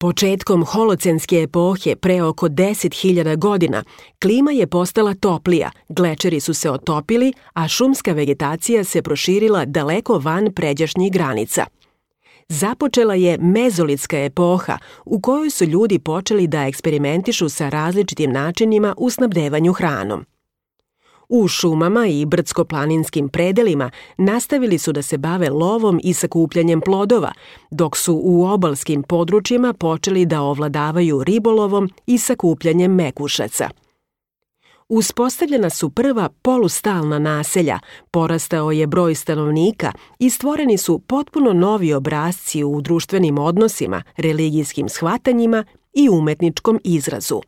Početkom holocenske epohe pre oko 10.000 godina klima je postala toplija, glečeri su se otopili, a šumska vegetacija se proširila daleko van pređašnjih granica. Započela je mezolitska epoha u kojoj su ljudi počeli da eksperimentišu sa različitim načinima u snabdevanju hranom. U šumama i brdsko-planinskim predelima nastavili su da se bave lovom i sakupljanjem plodova, dok su u obalskim područjima počeli da ovladavaju ribolovom i sakupljanjem mekušaca. Uspostavljena su prva polustalna naselja, porastao je broj stanovnika i stvoreni su potpuno novi obrasci u društvenim odnosima, religijskim shvatanjima i umetničkom izrazu.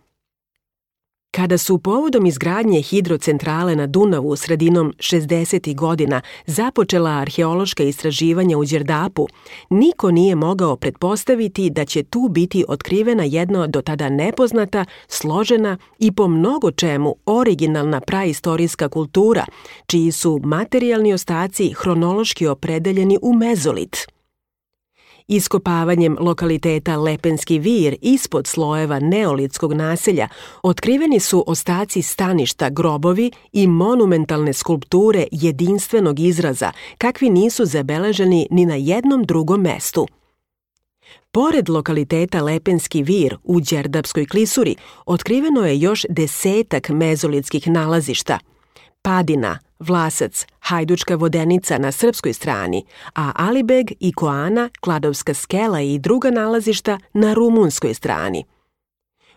Kada su povodom izgradnje hidrocentrale na Dunavu sredinom 60. godina započela arheološka istraživanja u Đerdapu, niko nije mogao pretpostaviti da će tu biti otkrivena jedna do tada nepoznata, složena i po mnogo čemu originalna praistorijska kultura, čiji su materijalni ostaci hronološki opredeljeni u mezolit. Iskopavanjem lokaliteta Lepenski vir ispod slojeva neolitskog naselja otkriveni su ostaci staništa, grobovi i monumentalne skulpture jedinstvenog izraza, kakvi nisu zabeleženi ni na jednom drugom mestu. Pored lokaliteta Lepenski vir u Đerdapskoj klisuri otkriveno je još 10 mezolitskih nalazišta: Padina, Vlasac, Hajdučka vodenica na srpskoj strani, a Alibeg i Koana, Kladovska skela i druga nalazišta na rumunskoj strani.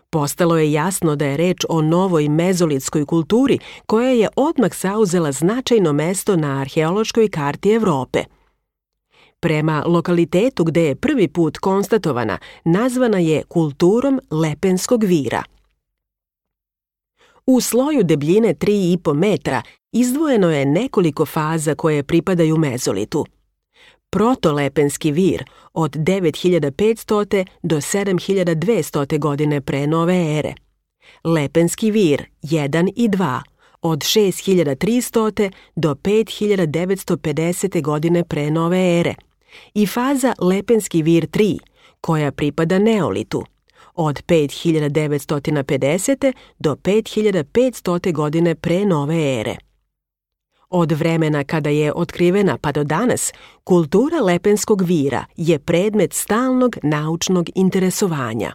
Postalo je jasno da je reč o novoj mezolitskoj kulturi koja je odmah zauzela značajno mesto na arheološkoj karti Evrope. Prema lokalitetu gde je prvi put konstatovana, nazvana je kulturom Lepenskog vira. U sloju debljine 3,5 metra izdvojeno je nekoliko faza koje pripadaju mezolitu. Protolepenski vir od 9500. do 7200. godine pre nove ere. Lepenski vir 1 i 2 od 6300. do 5950. godine pre nove ere. I faza Lepenski vir 3 koja pripada neolitu od 5950. do 5500. godine pre nove ere. Od vremena kada je otkrivena pa do danas, kultura Lepenskog vira je predmet stalnog naučnog interesovanja.